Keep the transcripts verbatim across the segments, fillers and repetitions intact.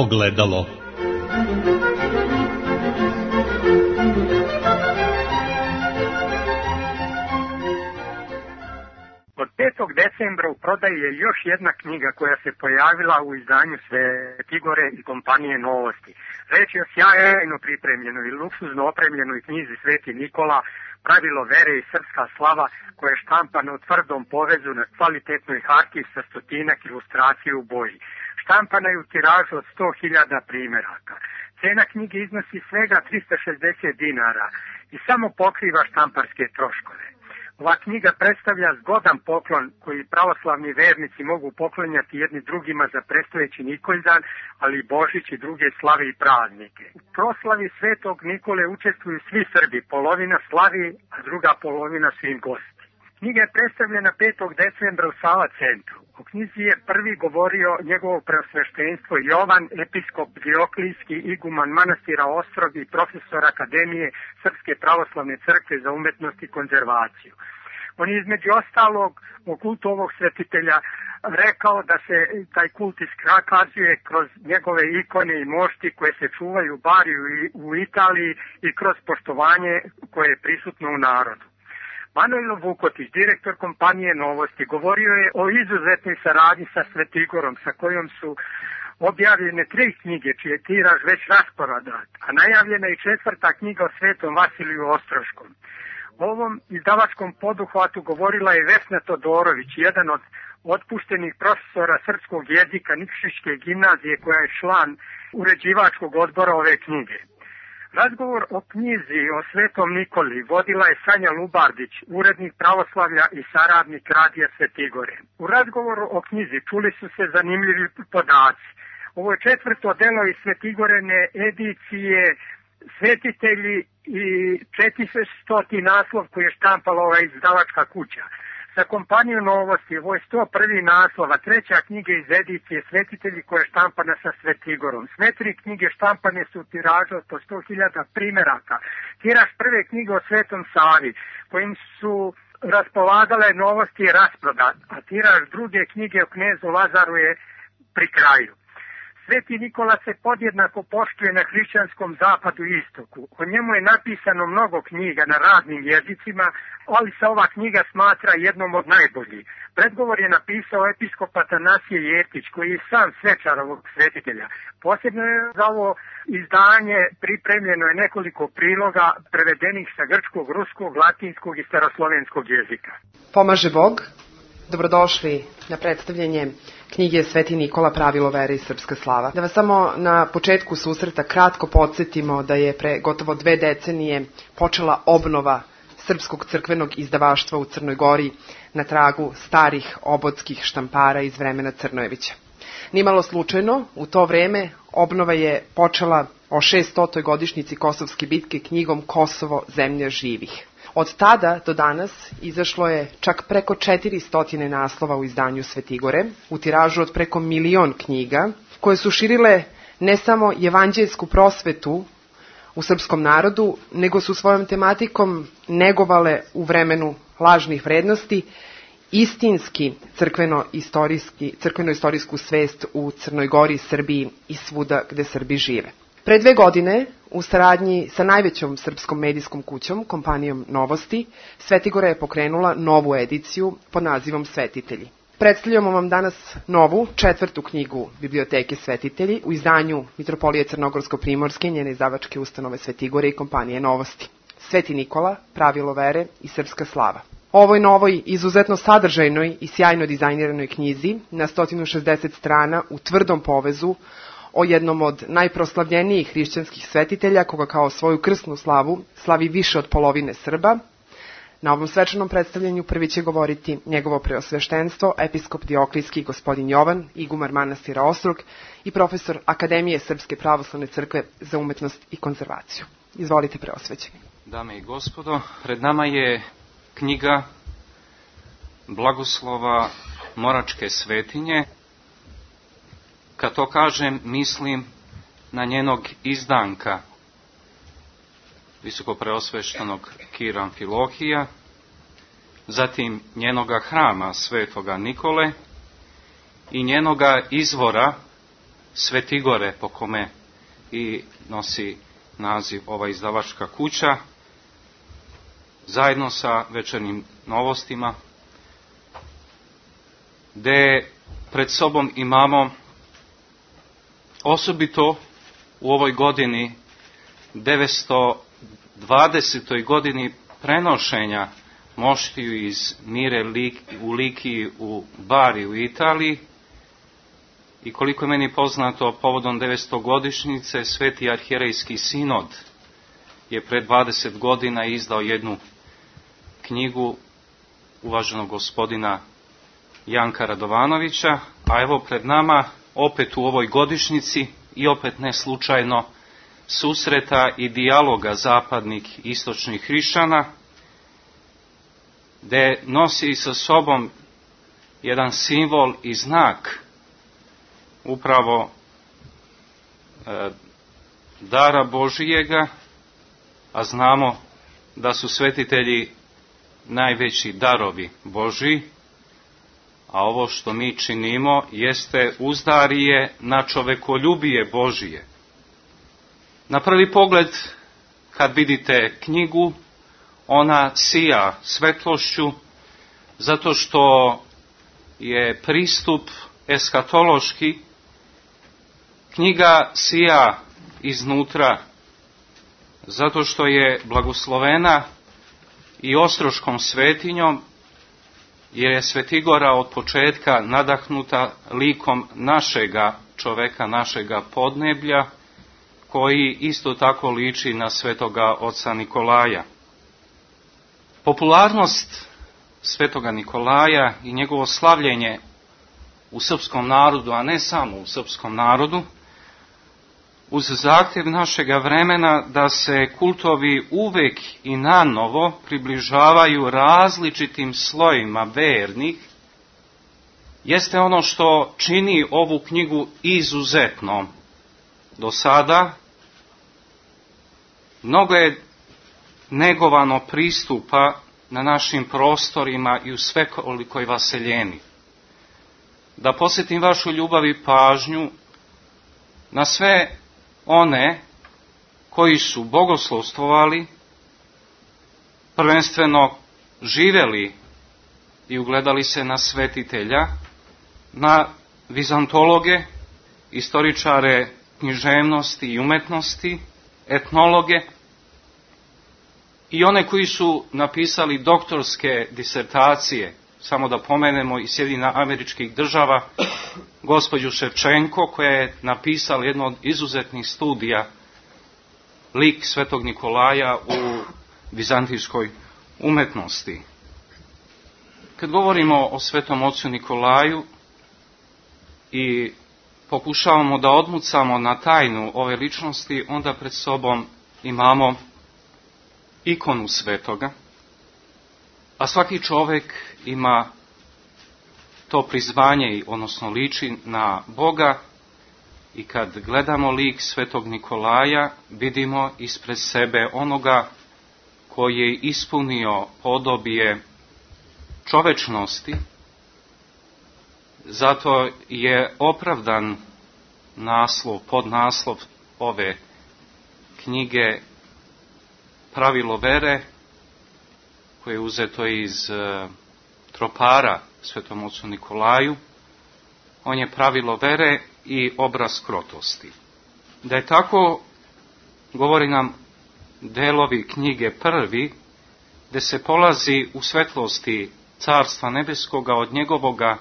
ogledalo. Od petog decembra u prodaji je još jedna knjiga koja se pojavila u izdanju Svetigore i kompanije Novosti. Reč je o sjajno pripremljenoj i luksuzno opremljenoj knjizi Sveti Nikola, Pravilo vere i srpska slava, koja je štampana u tvrdom povezu na kvalitetnoj hartiji sa stotinak ilustracije u boji. Štampana je u tiražu od sto hiljada primjeraka. Cena knjige iznosi svega trista šezdeset dinara i samo pokriva štamparske troškove. Ova knjiga predstavlja zgodan poklon koji pravoslavni vernici mogu poklonjati jedni drugima za predstojeći Nikoldan, ali i Božić i druge slave i praznike. U proslavi Svetog Nikole učestvuju svi Srbi, polovina slavi, a druga polovina su im gosti. Knjiga je predstavljena petog decembra u Sava centru. O knjizi je prvi govorio njegovo preosveštenstvo Jovan, episkop Dioklijski, iguman manastira Ostrog i profesor Akademije Srpske pravoslavne crkve za umetnost i konzervaciju. On je između ostalog o kultu ovog svetitelja rekao da se taj kult iskazuje kroz njegove ikone i mošti koje se čuvaju bar u Italiji i kroz poštovanje koje je prisutno u narodu. Manojlo Vukotić, direktor kompanije Novosti, govorio je o izuzetnoj saradnji sa Svetigorom, sa kojom su objavljene tri knjige, čiji je tiraž već rasporedan, a najavljena je četvrta knjiga o Svetom Vasiliju Ostroškom. O ovom izdavačkom poduhvatu govorila je Vesna Todorović, jedan od otpuštenih profesora srpskog jezika Nikšićke gimnazije, koja je član uređivačkog odbora ove knjige. Razgovor o knjizi o Svetom Nikoli vodila je Sanja Lubardić, urednik Pravoslavlja i saradnik Radija Svetigore. U razgovoru o knjizi čuli su se zanimljivi podaci. Ovo je četvrto delo iz Svetigorene edicije Svetitelji i četiristo naslov koji je štampala ova izdavačka kuća. Sa kompanijom Novosti ovo je sto prvi naslov, a treća knjiga iz edicije Svetitelji koja je štampana sa Svetigorom. Sve tri knjige štampane su u tiražu od po sto hiljada primjeraka. Tiraž prve knjige o Svetom Savi, kojim su raspolagale Novosti je rasprodat, a tiraž druge knjige o knezu Lazaru je pri kraju. Sveti Nikola se podjednako poštuje na hrišćanskom zapadu i istoku. O njemu je napisano mnogo knjiga na raznim jezicima, ali se ova knjiga smatra jednom od najboljih. Predgovor je napisao episkop Atanasije Jeftić, koji je sam svečar ovog svetitelja. Posebno je za ovo izdanje pripremljeno je nekoliko priloga prevedenih sa grčkog, ruskog, latinskog i staroslovenskog jezika. Pomaže Bog. Dobrodošli na predstavljanje knjige Sveti Nikola, Pravilo vere i srpska slava. Da vas samo na početku susreta kratko podsjetimo da je pre gotovo dve decenije počela obnova srpskog crkvenog izdavaštva u Crnoj Gori na tragu starih obodskih štampara iz vremena Crnojevića. Nimalo slučajno, u to vreme obnova je počela o šeststotoj godišnjici Kosovske bitke knjigom Kosovo, zemlja živih. Od tada do danas izašlo je čak preko četiristo naslova u izdanju Svetigore, u tiražu od preko milion knjiga, koje su širile ne samo evanđeljsku prosvetu u srpskom narodu, nego su svojom tematikom negovale u vremenu lažnih vrednosti istinski crkveno-istorijski, crkveno-istorijsku svest u Crnoj Gori, Srbiji i svuda gde Srbi žive. Pre dve godine, u saradnji sa najvećom srpskom medijskom kućom, kompanijom Novosti, Svetigora je pokrenula novu ediciju pod nazivom Svetitelji. Predstavljamo vam danas novu, četvrtu knjigu Biblioteke Svetitelji u izdanju Mitropolije Crnogorsko-Primorske, njene izdavačke ustanove Svetigore i kompanije Novosti. Sveti Nikola, Pravilo vere i srpska slava. Ovoj novoj, izuzetno sadržajnoj i sjajno dizajniranoj knjizi na sto šezdeset strana u tvrdom povezu o jednom od najproslavljenijih hrišćanskih svetitelja, koga kao svoju krsnu slavu slavi više od polovine Srba. Na ovom svečanom predstavljanju prvi će govoriti njegovo preosveštenstvo, episkop Dioklijski gospodin Jovan, igumar manastira Ostrog i profesor Akademije Srpske pravoslavne crkve za umetnost i konzervaciju. Izvolite, preosvećeni. Dame i gospodo, pred nama je knjiga Blagoslova Moračke svetinje. Kad to kažem, mislim na njenog izdanka, visokopreosveštenog Kira Amfilohija, zatim njenoga hrama Svetoga Nikole i njenoga izvora Svetigore, po kome i nosi naziv ova izdavačka kuća, zajedno sa Večernjim novostima, gde pred sobom imamo osobito u ovoj godini, devetsto dvadesetoj godini prenošenja moštiju iz Mire u Likiji u Bari u Italiji, i koliko je meni poznato, povodom devetstogodišnjice Sveti arhijerejski sinod je pre dvadeset godina izdao jednu knjigu uvaženog gospodina Janka Radovanovića, a evo pred nama opet u ovoj godišnjici i opet ne slučajno susreta i dijaloga zapadnih i istočnih hrišćana, gde nosi sa sobom jedan simbol i znak upravo e, dara Božijega, a znamo da su svetitelji najveći darovi Božiji, a ovo što mi činimo jeste uzdarije na čovekoljubije Božije. Na prvi pogled, kad vidite knjigu, ona sija svetlošću, zato što je pristup eskatološki. Knjiga sija iznutra, zato što je blagoslovena i ostroškom svetinjom, jer je Svetigora od početka nadahnuta likom našega čoveka, našega podneblja, koji isto tako liči na svetoga oca Nikolaja. Popularnost svetoga Nikolaja i njegovo slavljenje u srpskom narodu, a ne samo u srpskom narodu, uz zahtjev našega vremena da se kultovi uvek i nanovo približavaju različitim slojima vernih, jeste ono što čini ovu knjigu izuzetnom. Do sada mnogo je negovano pristupa na našim prostorima i u svekolikoj vaseljeni. Da posjetim vašu ljubav i pažnju na sve one koji su bogoslovstvovali, prvenstveno živeli i ugledali se na svetitelja, na vizantologe, istoričare književnosti i umetnosti, etnologe i one koji su napisali doktorske disertacije, samo da pomenemo i Sjedinjenih Američkih Država, gospođu Ševčenko, koja je napisala jedno od izuzetnih studija, lik svetog Nikolaja u vizantijskoj umetnosti. Kad govorimo o svetom ocu Nikolaju i pokušavamo da odmucamo na tajnu ove ličnosti, onda pred sobom imamo ikonu svetoga, a svaki čovjek ima to prizvanje, odnosno liči na Boga, i kad gledamo lik svetog Nikolaja, vidimo ispred sebe onoga koji je ispunio podobije čovečnosti. Zato je opravdan naslov, podnaslov ove knjige Pravilo vere, koje je uzeto iz uh, tropara svetom ocu Nikolaju. On je pravilo vere i obraz krotosti. Da je tako, govori nam delovi knjige prvi, gde se polazi u svetlosti Carstva nebeskoga od njegovoga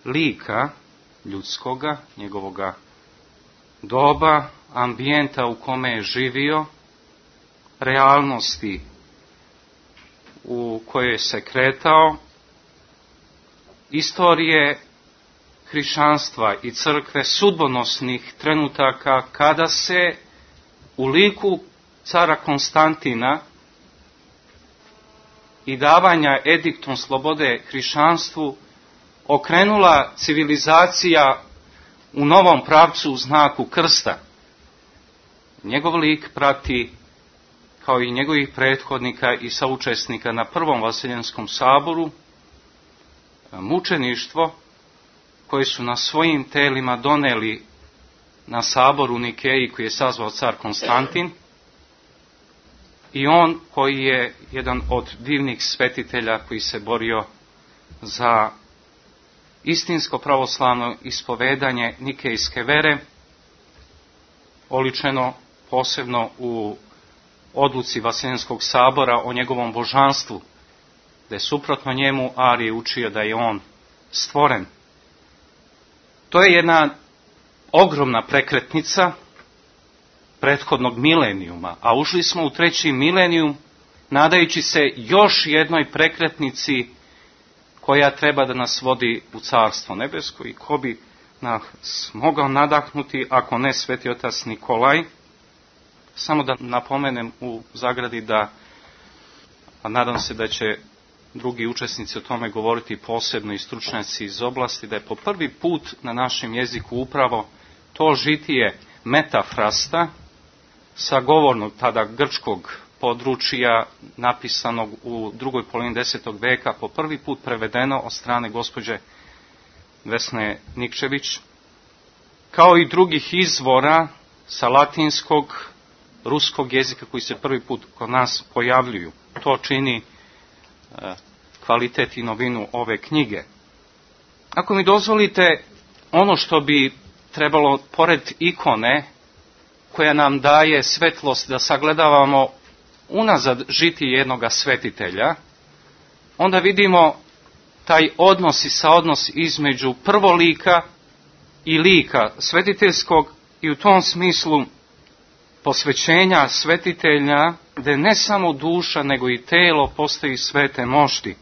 lika ljudskoga, njegovoga doba, ambijenta u kome je živio, realnosti u kojoj se kretao, istorije hrišćanstva i crkve, sudbonosnih trenutaka kada se u liku cara Konstantina i davanja ediktom slobode hrišćanstvu okrenula civilizacija u novom pravcu u znaku krsta. Njegov lik prati, kao i njegovih prethodnika i saučesnika na prvom Vaseljenskom saboru, mučeništvo koje su na svojim telima doneli na saboru u Nikeji koji je sazvao car Konstantin, i on koji je jedan od divnih svetitelja koji se borio za istinsko pravoslavno ispovedanje nikejske vere, oličeno posebno u odluci Vaseljenskog sabora o njegovom božanstvu, da je suprotno njemu Arije učio da je on stvoren. To je jedna ogromna prekretnica prethodnog milenijuma, a ušli smo u treći milenijum nadajući se još jednoj prekretnici koja treba da nas vodi u Carstvo nebesko, i ko bi nas mogao nadahnuti ako ne Sveti otac Nikolaj. Samo da napomenem u zagradi da, a nadam se da će drugi učesnici o tome govoriti posebno i stručnjaci iz oblasti, da je po prvi put na našem jeziku upravo to žitije metafrasta sa govornog tada grčkog područja napisanog u drugoj polovini desetog veka po prvi put prevedeno od strane gospođe Vesne Nikčević, kao i drugih izvora sa latinskog, ruskog jezika koji se prvi put kod nas pojavljuju. To čini e, kvalitet i novinu ove knjige. Ako mi dozvolite, ono što bi trebalo, pored ikone koja nam daje svetlost da sagledavamo unazad žitije jednoga svetitelja, onda vidimo taj odnos i saodnos između prvolika i lika svetiteljskog, i u tom smislu posvećenja svetitelja, gde ne samo duša nego i telo postaju svete mošti.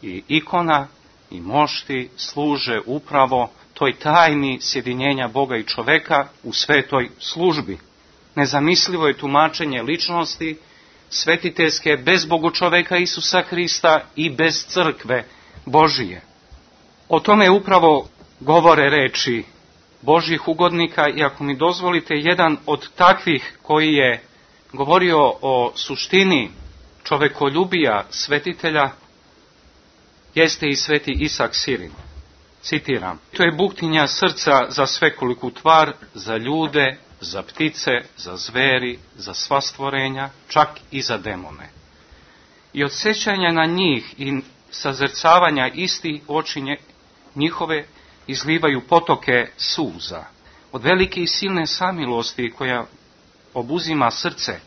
I ikona i mošti služe upravo toj tajni sjedinjenja Boga i čoveka u svetoj službi. Nezamislivo je tumačenje ličnosti svetiteljske bez Bogočoveka Isusa Hrista i bez crkve Božije. O tome upravo govore reči Božjih ugodnika, i ako mi dozvolite, jedan od takvih koji je govorio o suštini čovekoljubija svetitelja jeste i sveti Isak Sirin. Citiram: to je buktinja srca za svekoliku tvar, za ljude, za ptice, za zveri, za sva stvorenja, čak i za demone. I od sećanja na njih i sazrcavanja isti oči njihove izlivaju potoke suza. Od velike i silne samilosti koja obuzima srce,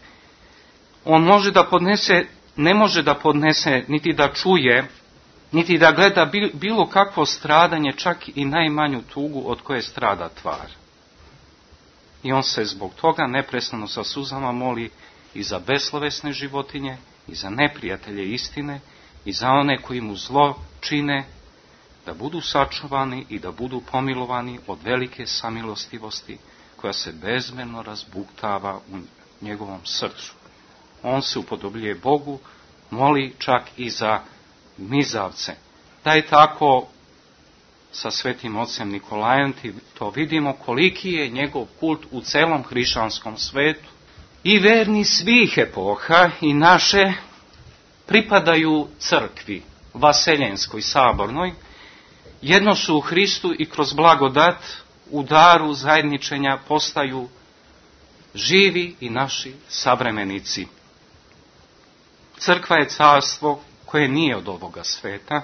on može da podnese, ne može da podnese, niti da čuje, niti da gleda bilo kakvo stradanje, čak i najmanju tugu od koje strada tvar. I on se zbog toga neprestano sa suzama moli i za beslovesne životinje, i za neprijatelje istine, i za one koji mu zlo čine, da budu sačuvani i da budu pomilovani od velike samilostivosti koja se bezmjerno razbuktava u njegovom srcu. On se upodobljuje Bogu, moli čak i za mizavce. Da je tako sa svetim ocem Nikolajem, to vidimo koliki je njegov kult u celom hrišćanskom svetu. I verni svih epoha i naše pripadaju crkvi, vaseljenskoj, sabornoj. Jedno su u Hristu i kroz blagodat u daru zajedničenja postaju živi i naši savremenici. Crkva je carstvo koje nije od ovoga sveta,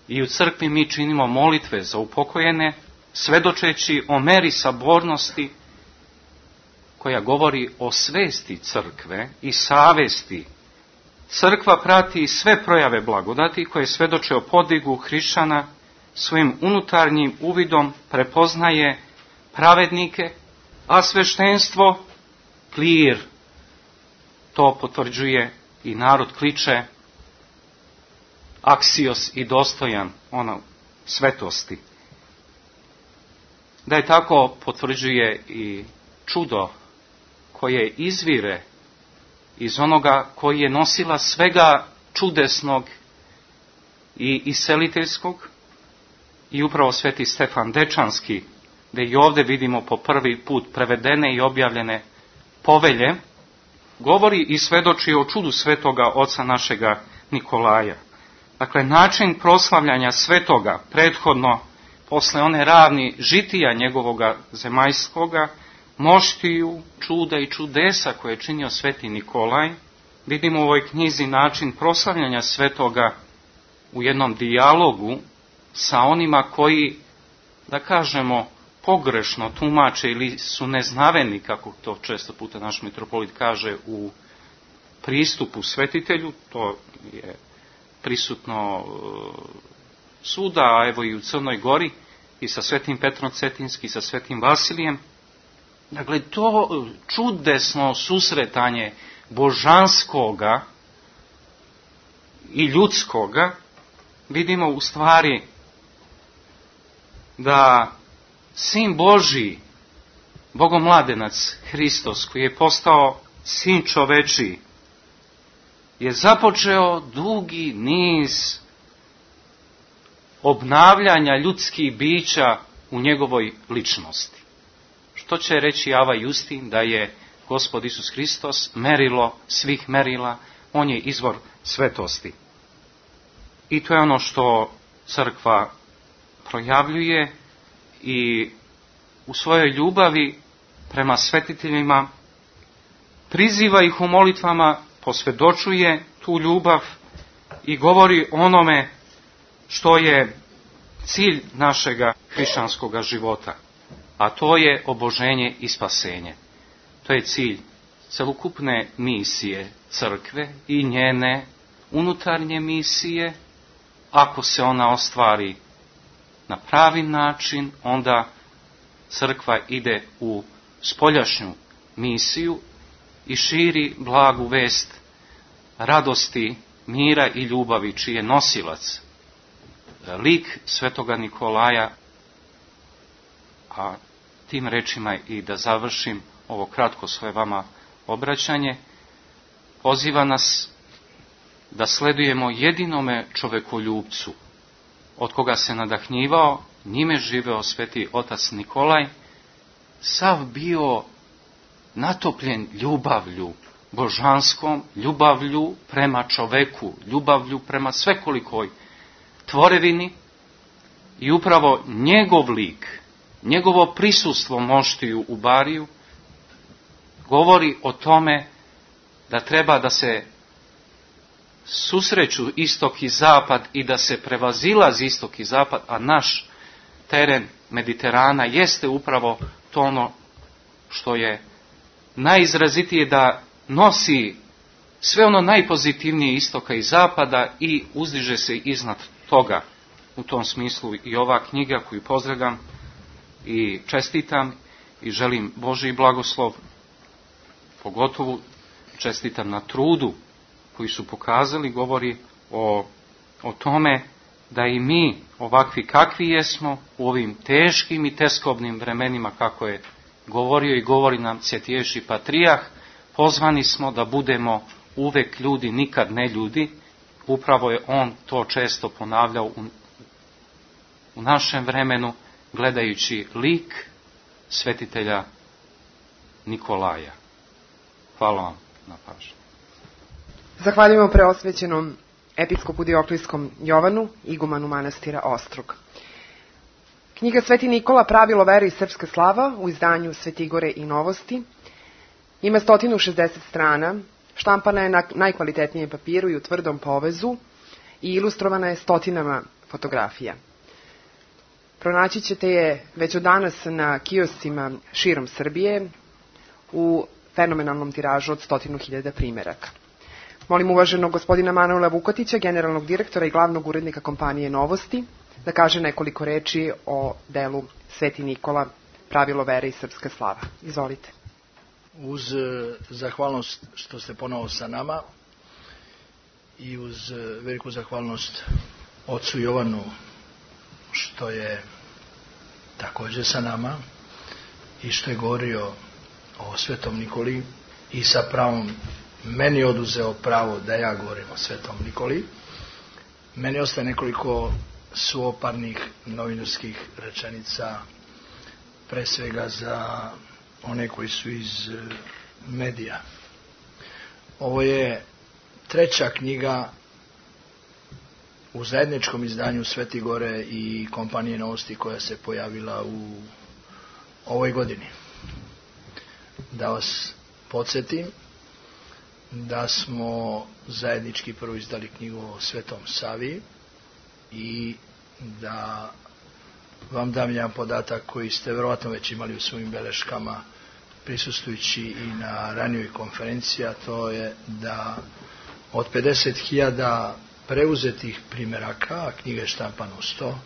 i u crkvi mi činimo molitve za upokojene, svedočeći o meri sabornosti koja govori o svesti crkve i savesti. Crkva prati sve projave blagodati koje svedoče o podvigu hrišćana, svojim unutarnjim uvidom prepoznaje pravednike, a sveštenstvo, klir, to potvrđuje i narod kliče aksios i dostojan ono svetosti. Da je tako potvrđuje i čudo koje izvire iz onoga koji je nosila svega čudesnog i iseliteljskog, i upravo sveti Stefan Dečanski, gde i ovdje vidimo po prvi put prevedene i objavljene povelje, govori i svedoči o čudu svetoga oca našega Nikolaja. Dakle, način proslavljanja svetoga prethodno posle one ravni žitija njegovoga zemaljskoga, moštiju, čuda i čudesa koje je činio sveti Nikolaj, vidimo u ovoj knjizi način proslavljanja svetoga u jednom dijalogu sa onima koji, da kažemo, pogrešno tumače ili su neznaveni, kako to često puta naš mitropolit kaže, u pristupu svetitelju. To je prisutno svuda, a evo i u Crnoj Gori, i sa svetim Petrom Cetinski, i sa svetim Vasilijem. Dakle, to čudesno susretanje božanskoga i ljudskoga, vidimo u stvari da Sin Božji, Bogomladenac Hristos, koji je postao Sin čovečiji, je započeo dugi niz obnavljanja ljudskih bića u njegovoj ličnosti. Što će reći Ava Justin, da je Gospod Isus Hristos merilo svih merila, on je izvor svetosti. I to je ono što crkva projavljuje i u svojoj ljubavi prema svetiteljima priziva ih u molitvama, posvjedočuje tu ljubav i govori onome što je cilj našega hrišćanskog života, a to je oboženje i spasenje. To je cilj celokupne misije crkve i njene unutarnje misije. Ako se ona ostvari na pravi način, onda crkva ide u spoljašnju misiju i širi blagu vest radosti, mira i ljubavi, čiji je nosilac lik svetoga Nikolaja. A tim rečima i da završim ovo kratko svoje vama obraćanje, poziva nas da sledujemo jedinome čovekoljubcu, od koga se nadahnjivao, njime živeo sveti otac Nikolaj, sav bio natopljen ljubavlju božanskom, ljubavlju prema čoveku, ljubavlju prema svekolikoj tvorevini, i upravo njegov lik, njegovo prisustvo moštiju u bariju govori o tome da treba da se susreću istok i zapad i da se prevazilazi istok i zapad, a naš teren Mediterana jeste upravo to ono što je najizrazitije, da nosi sve ono najpozitivnije istoka i zapada i uzdiže se iznad toga. U tom smislu i ova knjiga koju pozdravljam i čestitam i želim Božji blagoslov, pogotovo čestitam na trudu koji su pokazali, govori o, o tome da i mi, ovakvi kakvi jesmo, u ovim teškim i teskobnim vremenima, kako je govorio i govori nam Svetejši Patrijah, pozvani smo da budemo uvek ljudi, nikad ne ljudi. Upravo je on to često ponavljao u, u našem vremenu, gledajući lik svetitelja Nikolaja. Hvala vam na pažnju. Zahvaljujemo preosvećenom episkopu Dioklijskom Jovanu, igumanu manastira Ostrog. Knjiga Sveti Nikola, pravilo vere i srpska slava, u izdanju Svetigore i novosti, ima sto šezdeset strana, štampana je na najkvalitetnijem papiru i u tvrdom povezu i ilustrovana je stotinama fotografija. Pronaći ćete je već od danas na kioscima širom Srbije u fenomenalnom tiražu od stotinu hiljada primeraka. Molim uvaženog gospodina Manuela Vukotića, generalnog direktora i glavnog urednika kompanije Novosti, da kaže nekoliko reči o delu Sveti Nikola, pravilo vere i srpska slava. Izvolite. Uz zahvalnost što ste ponovo sa nama i uz veliku zahvalnost ocu Jovanu što je također sa nama i što je govorio o Svetom Nikoli i sa pravom meni oduzeo pravo da ja govorim o Svetom Nikoli, meni ostaje nekoliko suoparnih novinarskih rečenica, pre svega za one koji su iz medija. Ovo je treća knjiga u zajedničkom izdanju Sveti Gore i kompanije Novosti koja se pojavila u ovoj godini. Da vas podsjetim da smo zajednički prvo izdali knjigu o Svetom Savi i da vam dam jedan podatak koji ste vjerojatno već imali u svojim beleškama prisustvujući i na ranijoj konferenciji, a to je da od pedeset hiljada preuzetih primjeraka, a knjiga je štampana u sto,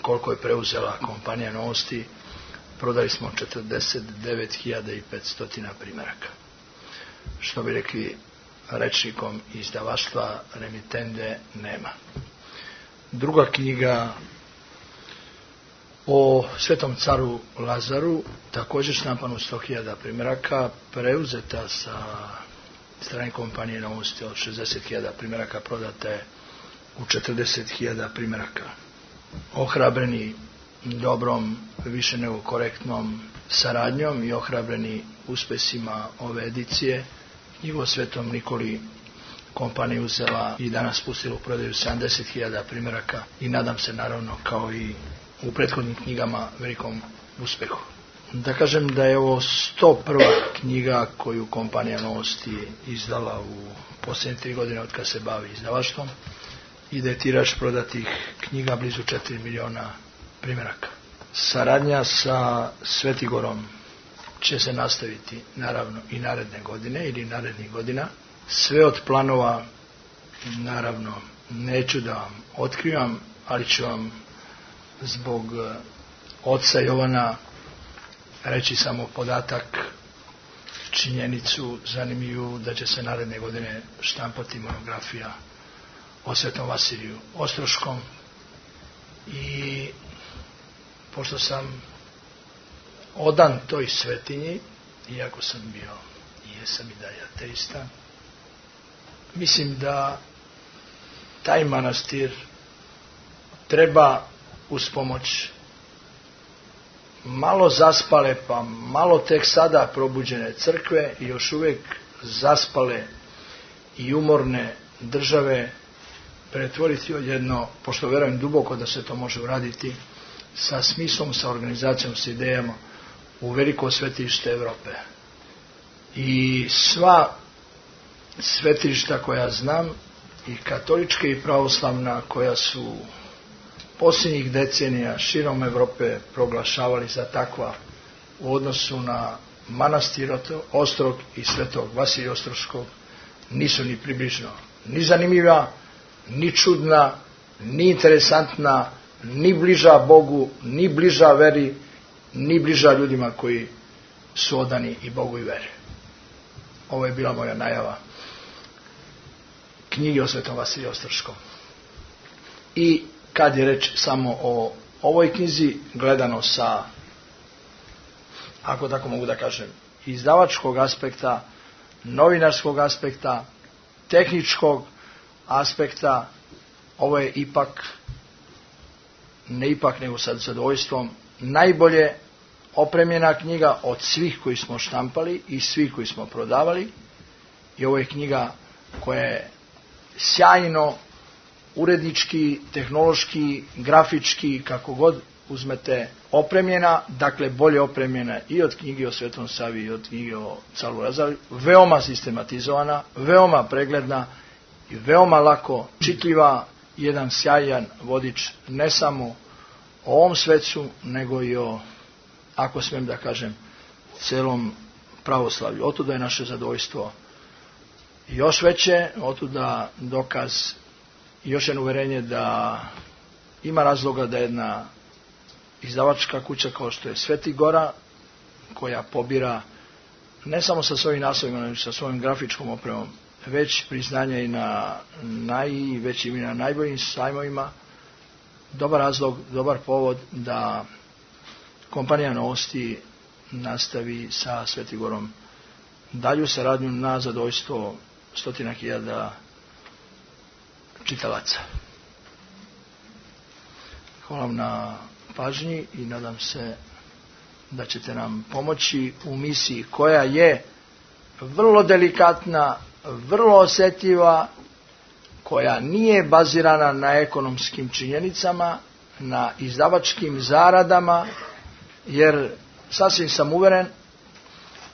koliko je preuzela kompanija Novosti, prodali smo četrdeset devet hiljada petsto primjeraka. Što bi rekli rečnikom izdavaštva, remitende nema. Druga knjiga o Svetom caru Lazaru, također štampana u sto hiljada primjeraka, preuzeta sa strane kompanije Novosti od šezdeset hiljada primjeraka, prodate u četrdeset hiljada primjeraka. Ohrabreni dobrom, više nego korektnom saradnjom i ohrabreni uspesima ove edicije, knjigu o Svetom Nikoli kompanija uzela i danas pustila u prodaju sedamdeset hiljada primjeraka i nadam se naravno kao i u prethodnim knjigama velikom uspehu. Da kažem da je ovo sto prva knjiga koju kompanija Novosti izdala u posljednje tri godine od kad se bavi izdavaštvom i da je tiraž prodatih knjiga blizu četiri miliona primjeraka. Saradnja sa Svetigorom će se nastaviti naravno i naredne godine ili narednih godina. Sve od planova naravno neću da vam otkrivam, ali ću vam zbog oca Jovana reći samo podatak, činjenicu zanimljivu da će se naredne godine štampati monografija o Svetom Vasiliju Ostroškom i pošto sam odan toj svetinji, iako sam bio i jesam i dalje ateista, mislim da taj manastir treba uz pomoć malo zaspale, pa malo tek sada probuđene crkve i još uvijek zaspale i umorne države pretvoriti odjedno, pošto vjerujem duboko da se to može uraditi, sa smislom, sa organizacijom, sa idejama u veliko svetište Evrope. I sva svetišta koja znam, i katolička i pravoslavna, koja su posljednjih decenija širom Evrope proglašavali za takva u odnosu na manastir Ostrog i Svetog Vasilija Ostroškog, nisu ni približno ni zanimljiva, ni čudna, ni interesantna, ni bliža Bogu, ni bliža veri, ni bliža ljudima koji su odani i Bogu i veri. Ovo je bila moja najava knjige o Svetom Vasiliju Ostroškom. I kad je reč samo o ovoj knjizi, gledano sa, ako tako mogu da kažem, izdavačkog aspekta, novinarskog aspekta, tehničkog aspekta, ovo je ipak, ne ipak nego sa zadovoljstvom, najbolje opremljena knjiga od svih koji smo štampali i svih koji smo prodavali. I ovo je knjiga koja je sjajno urednički, tehnološki, grafički, kako god uzmete, opremljena, dakle bolje opremljena i od knjige o Svetom Savi i od knjige o caru Lazaru, veoma sistematizovana, veoma pregledna i veoma lako čitljiva, jedan sjajan vodič ne samo o ovom svecu, nego i o, ako smijem da kažem, celom pravoslavlju. Otuda je naše zadovoljstvo još veće, otuda dokaz i još jedno uverenje da ima razloga da jedna izdavačka kuća kao što je Sveti Gora, koja pobira ne samo sa svojim naslovima, nego sa svojim grafičkom opremom, već priznanje i na najvećim i na najboljim sajmovima, dobar razlog, dobar povod da kompanija Novosti nastavi sa Svetigorom dalju saradnju na zadovoljstvo stotina hiljada čitalaca. Hvala vam na pažnji i nadam se da ćete nam pomoći u misiji koja je vrlo delikatna, vrlo osjetljiva, koja nije bazirana na ekonomskim činjenicama, na izdavačkim zaradama, jer sasvim sam uveren,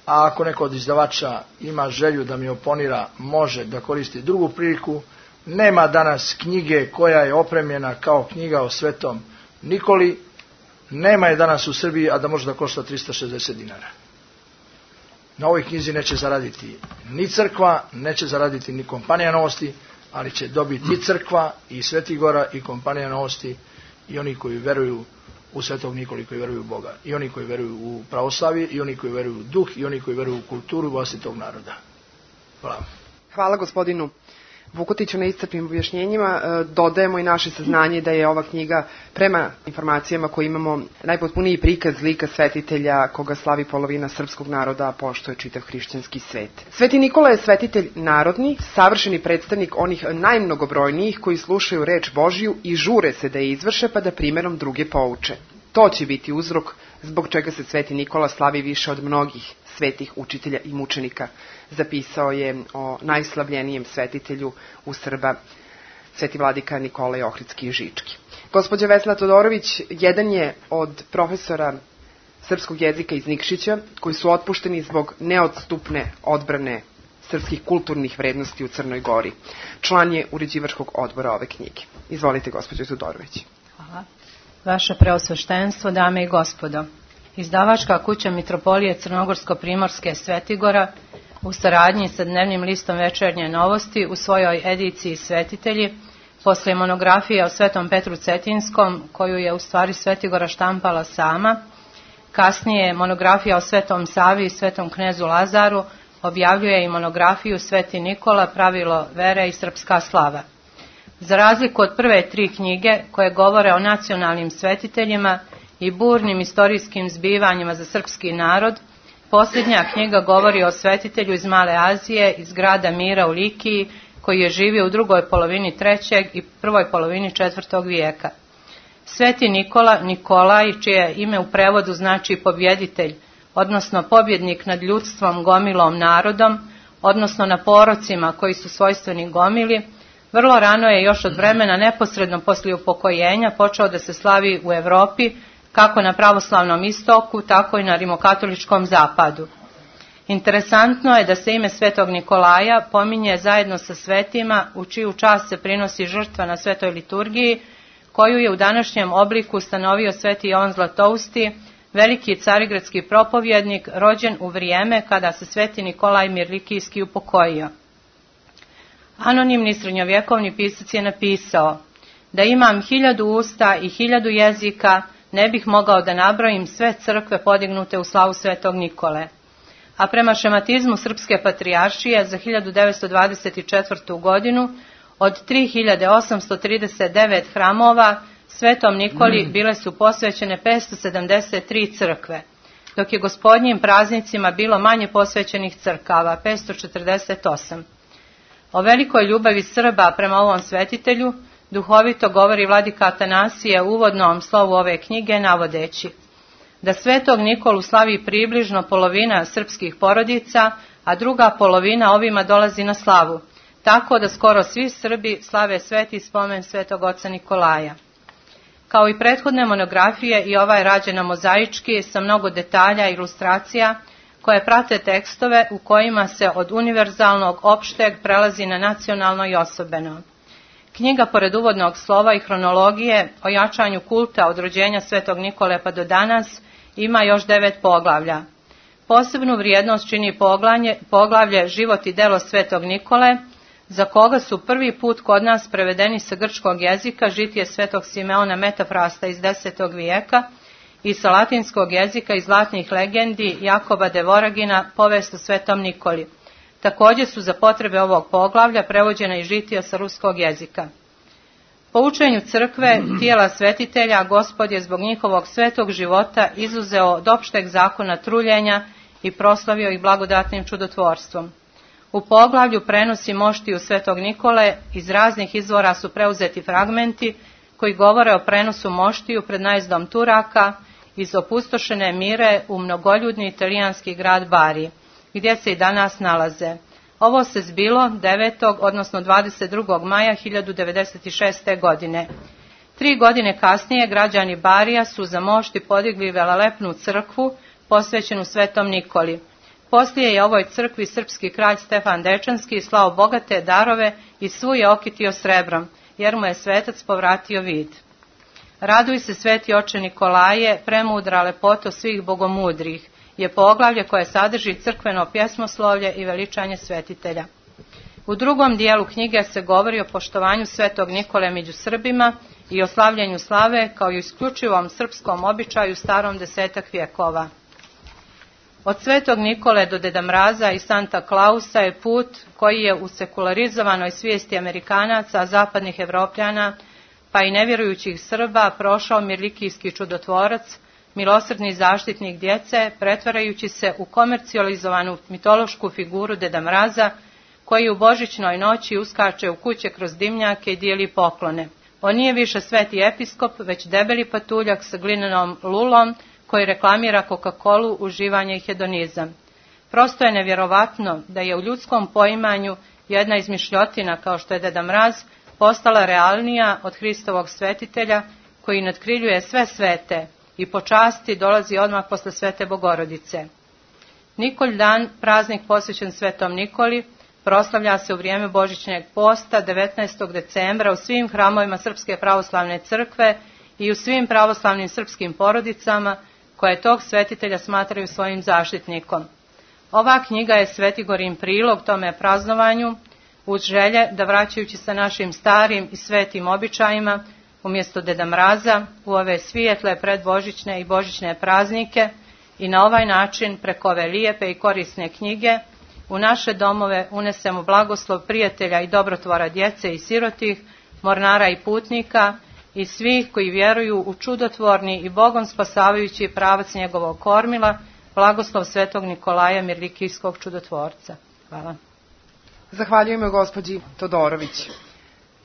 a ako neko od izdavača ima želju da mi oponira, može da koristi drugu priliku. Nema danas knjige koja je opremljena kao knjiga o Svetom Nikoli, nema je danas u Srbiji, a da može da košta tristo šezdeset dinara. Na ovoj knjizi neće zaraditi ni crkva, neće zaraditi ni kompanija Novosti, ali će dobiti i crkva, i Sveti Gora, i kompanija Novosti, i oni koji veruju u Svetog Nikoli, koji veruju u Boga, i oni koji veruju u pravoslavlje, i oni koji veruju u duh, i oni koji veruju u kulturu vlastitog naroda. Hvala. Hvala gospodinu Vukotiću na iscrpnim objašnjenjima. Dodajemo i naše saznanje da je ova knjiga, prema informacijama koje imamo, najpotpuniji prikaz lika svetitelja koga slavi polovina srpskog naroda, a pošto je čitav hrišćanski svet. Sveti Nikola je svetitelj narodni, savršeni predstavnik onih najmnogobrojnijih koji slušaju reč Božiju i žure se da je izvrše pa da primjerom druge pouče. To će biti uzrok zbog čega se Sveti Nikola slavi više od mnogih svetih učitelja i mučenika, zapisao je o najslavljenijem svetitelju u Srba, sveti vladika Nikolaj Ohridski i Žički. Gospođa Vesna Todorović jedan je od profesora srpskog jezika iz Nikšića, koji su otpušteni zbog neodstupne odbrane srpskih kulturnih vrednosti u Crnoj Gori. Član je uređivačkog odbora ove knjige. Izvolite, gospođo Todorović. Hvala. Vaše preosveštenstvo, dame i gospodo, izdavačka kuća Mitropolije Crnogorsko-Primorske Svetigora u saradnji sa dnevnim listom Večernje novosti u svojoj ediciji Svetitelji, posle monografije o Svetom Petru Cetinskom, koju je u stvari Svetigora štampala sama, kasnije monografija o Svetom Savi i Svetom knezu Lazaru, objavljuje i monografiju Sveti Nikola, pravilo vere i srpska slava. Za razliku od prve tri knjige koje govore o nacionalnim svetiteljima i burnim istorijskim zbivanjima za srpski narod, posljednja knjiga govori o svetitelju iz Male Azije, iz grada Mira u Likiji, koji je živio u drugoj polovini trećeg i prvoj polovini četvrtog vijeka. Sveti Nikola, Nikolaj, čije ime u prevodu znači pobjeditelj, odnosno pobjednik nad ljudstvom, gomilom, narodom, odnosno na porocima koji su svojstveni gomili, vrlo rano je, još od vremena neposredno poslije upokojenja, počeo da se slavi u Evropi, kako na pravoslavnom istoku, tako i na rimokatoličkom zapadu. Interesantno je da se ime Svetog Nikolaja pominje zajedno sa svetima u čiju čast se prinosi žrtva na svetoj liturgiji, koju je u današnjem obliku ustanovio Sveti Jovan Zlatousti, veliki carigradski propovjednik, rođen u vrijeme kada se Sveti Nikolaj Mirlikijski upokojio. Anonimni srednjovjekovni pisac je napisao: da imam hiljadu usta i hiljadu jezika, ne bih mogao da nabrojim sve crkve podignute u slavu Svetog Nikole. A prema šematizmu Srpske patrijaršije za hiljadu devetsto dvadeset četvrtu. godinu, od tri hiljade osamsto trideset devet hramova Svetom Nikoli bile su posvećene petsto sedamdeset tri crkve, dok je gospodnjim praznicima bilo manje posvećenih crkava, petsto četrdeset osam. O velikoj ljubavi Srba prema ovom svetitelju duhovito govori vladika Atanasije u uvodnom slovu ove knjige, navodeći da Svetog Nikolu slavi približno polovina srpskih porodica, a druga polovina ovima dolazi na slavu, tako da skoro svi Srbi slave sveti spomen Svetog oca Nikolaja. Kao i prethodne monografije, i ova je rađena mozaički sa mnogo detalja i ilustracija koje prate tekstove u kojima se od univerzalnog opšteg prelazi na nacionalno i osobeno. Knjiga, pored uvodnog slova i hronologije o jačanju kulta od rođenja Svetog Nikole pa do danas, ima još devet poglavlja. Posebnu vrijednost čini poglavlje, poglavlje Život i delo Svetog Nikole, za koga su prvi put kod nas prevedeni sa grčkog jezika žitije Svetog Simeona Metafrasta iz desetog vijeka i sa latinskog jezika iz zlatnih legendi Jakoba de Voragina povest o Svetom Nikoli. Također su za potrebe ovog poglavlja prevođena i žitija sa ruskog jezika. Po učenju crkve, tijela svetitelja, Gospod je zbog njihovog svetog života izuzeo od opšteg zakona truljenja i proslavio ih blagodatnim čudotvorstvom. U poglavlju prenosi moštiju Svetog Nikole iz raznih izvora su preuzeti fragmenti koji govore o prenosu moštiju pred najezdom Turaka iz opustošene Mire u mnogoljudni italijanski grad Bari, gdje se i danas nalaze. Ovo se zbilo devetog odnosno dvadeset drugog maja hiljadu devedeset šeste. godine. Tri godine kasnije građani Barija su za mošti podigli velelepnu crkvu posvećenu Svetom Nikoli. Poslije je ovoj crkvi srpski kralj Stefan Dečanski slao bogate darove i svu je okitio srebrom, jer mu je svetac povratio vid. Raduj se, sveti oče Nikolaje, premudra lepoto svih bogomudrih, je poglavlje koje sadrži crkveno pjesmoslovlje i veličanje svetitelja. U drugom dijelu knjige se govori o poštovanju Svetog Nikole među Srbima i o slavljenju slave kao i isključivom srpskom običaju starom desetak vjekova. Od Svetog Nikole do Deda Mraza i Santa Klausa je put koji je u sekularizovanoj svijesti Amerikanaca, zapadnih Evropljana, pa i nevjerujućih Srba prošao mirlikijski čudotvorac, milosrdni zaštitnik djece, pretvarajući se u komercijalizovanu mitološku figuru Deda Mraza, koji u božićnoj noći uskače u kuće kroz dimnjake i dijeli poklone. On nije više sveti episkop, već debeli patuljak sa glinenom lulom, koji reklamira Coca-Colu, uživanje i hedonizam. Prosto je nevjerovatno da je u ljudskom poimanju jedna izmišljotina kao što je Deda Mraz postala realnija od Hristovog svetitelja, koji natkriljuje sve svete i po časti dolazi odmah posle Svete Bogorodice. Nikolj dan, praznik posvećen Svetom Nikoli, proslavlja se u vrijeme božićnjeg posta devetnaestog decembra u svim hramovima Srpske pravoslavne crkve i u svim pravoslavnim srpskim porodicama koje tog svetitelja smatraju svojim zaštitnikom. Ova knjiga je Svetigorin prilog tome praznovanju, uz želje da, vraćajući se našim starim i svetim običajima, umjesto Deda Mraza, u ove svijetle predbožićne i božićne praznike i na ovaj način preko ove lijepe i korisne knjige u naše domove unesemo blagoslov prijatelja i dobrotvora djece i sirotih, mornara i putnika i svih koji vjeruju u čudotvorni i Bogom spasavajući pravac njegovog kormila, blagoslov Svetog Nikolaja mirlikijskog čudotvorca. Hvala. Zahvaljujemo gospođi Todorović.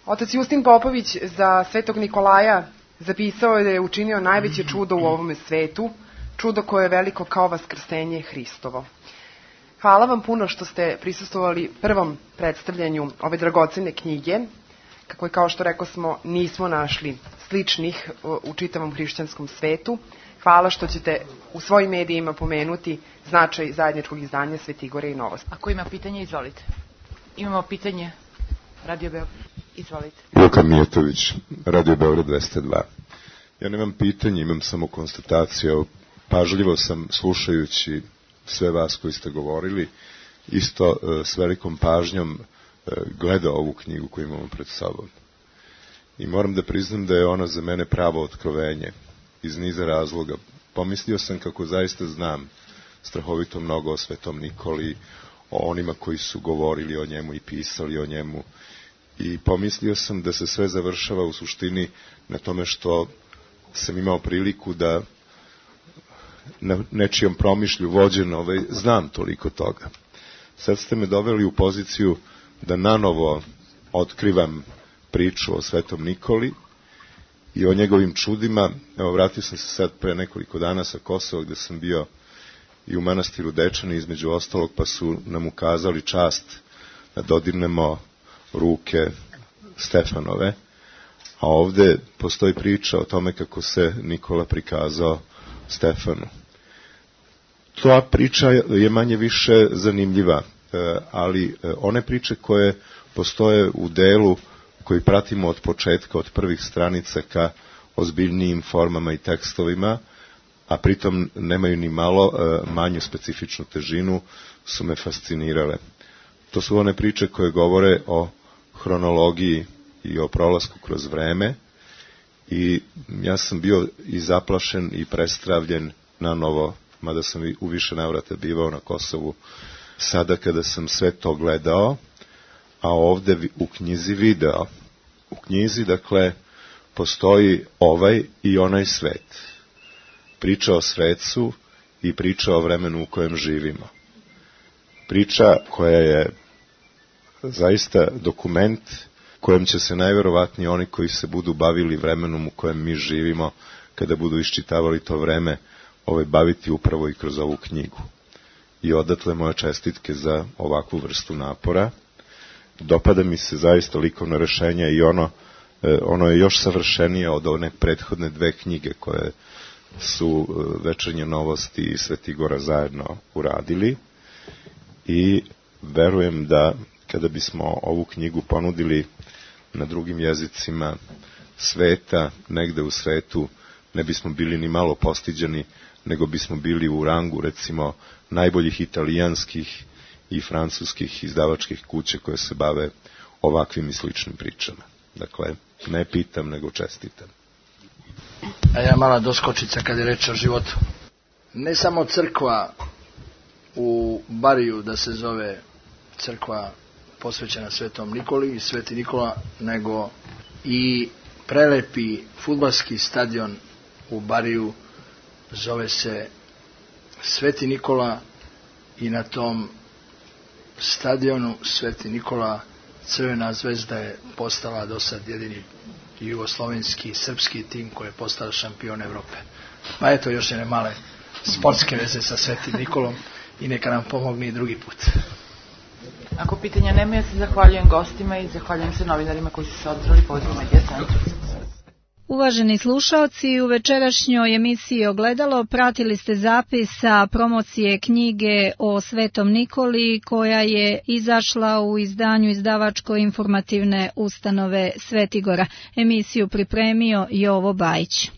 Otac Justin Popović za Svetog Nikolaja zapisao je da je učinio najveće čudo u ovome svetu, čudo koje je veliko kao vaskrsenje Hristovo. Hvala vam puno što ste prisustvovali prvom predstavljanju ove dragocene knjige, kako je, kao što rekao smo, nismo našli sličnih u čitavom hrišćanskom svetu. Hvala što ćete u svojim medijima pomenuti značaj zajedničkog izdanja Svetigore i Novosti. Ako ima pitanje, izvolite. Imamo pitanje. Radio Beograd. Izvolite. Luka Mijetović, Radio Beograd dvesta dva. Ja nemam pitanje, imam samo konstataciju. Pažljivo sam, slušajući sve vas koji ste govorili, isto s velikom pažnjom gledao ovu knjigu koju imamo pred sobom. I moram da priznam da je ona za mene pravo otkrovenje, iz niza razloga. Pomislio sam kako zaista znam strahovito mnogo o Svetom Nikoli, o onima koji su govorili o njemu i pisali o njemu. I pomislio sam da se sve završava u suštini na tome što sam imao priliku da na nečijom promišlju vođen ovaj, znam toliko toga. Sad ste me doveli u poziciju da nanovo otkrivam priču o Svetom Nikoli i o njegovim čudima. Evo, vratio sam se sad pre nekoliko dana sa Kosova, gde sam bio i u manastiru Dečani, između ostalog, pa su nam ukazali čast da dodirnemo ruke Stefanove, a ovde postoji priča o tome kako se Nikola prikazao Stefanu. Ta priča je manje više zanimljiva, ali one priče koje postoje u delu koji pratimo od početka, od prvih stranica ka ozbiljnijim formama i tekstovima, a pritom nemaju ni malo manju specifičnu težinu, su me fascinirale. To su one priče koje govore o hronologiji i o prolasku kroz vreme, i ja sam bio i zaplašen i prestravljen na novo, mada sam u više navrata bivao na Kosovu, sada kada sam sve to gledao, a ovde u knjizi video. U knjizi, dakle, postoji ovaj i onaj svet. Priča o svecu i priča o vremenu u kojem živimo. Priča koja je zaista dokument kojem će se najverovatnije oni koji se budu bavili vremenom u kojem mi živimo, kada budu iščitavali to vreme, ovaj, baviti upravo i kroz ovu knjigu. i odatle moje čestitke za ovakvu vrstu napora. Dopada mi se zaista likovno rešenje i ono, ono je još savršenije od one prethodne dve knjige koje su Večernje novosti i Svetigora zajedno uradili i verujem da kada bismo ovu knjigu ponudili na drugim jezicima sveta, negde u svetu, ne bismo bili ni malo postiđeni, nego bismo bili u rangu, recimo, najboljih italijanskih i francuskih izdavačkih kuća koje se bave ovakvim i sličnim pričama. Dakle, ne pitam, nego čestitam. A ja mala doskočica kad je reč o životu. Ne samo crkva u Bariju da se zove crkva posvećena Svetom Nikoli i Sveti Nikola, nego i prelepi fudbalski stadion u Bariju zove se Sveti Nikola i na tom stadionu Sveti Nikola Crvena zvezda je postala do sad jedini jugoslovenski i srpski tim koji je postao šampion Evrope. Pa eto još jedne male sportske veze sa Svetim Nikolom i neka nam pomogne i drugi put. Ako pitanja nema, ja se zahvaljujem gostima i zahvaljujem se novinarima koji su se održali pozivu Medija centru. Uvaženi slušaoci, u večerašnjoj emisiji Ogledalo pratili ste zapis sa promocije knjige o Svetom Nikoli koja je izašla u izdanju izdavačko-informativne ustanove Svetigora. Emisiju pripremio Jovo Bajić.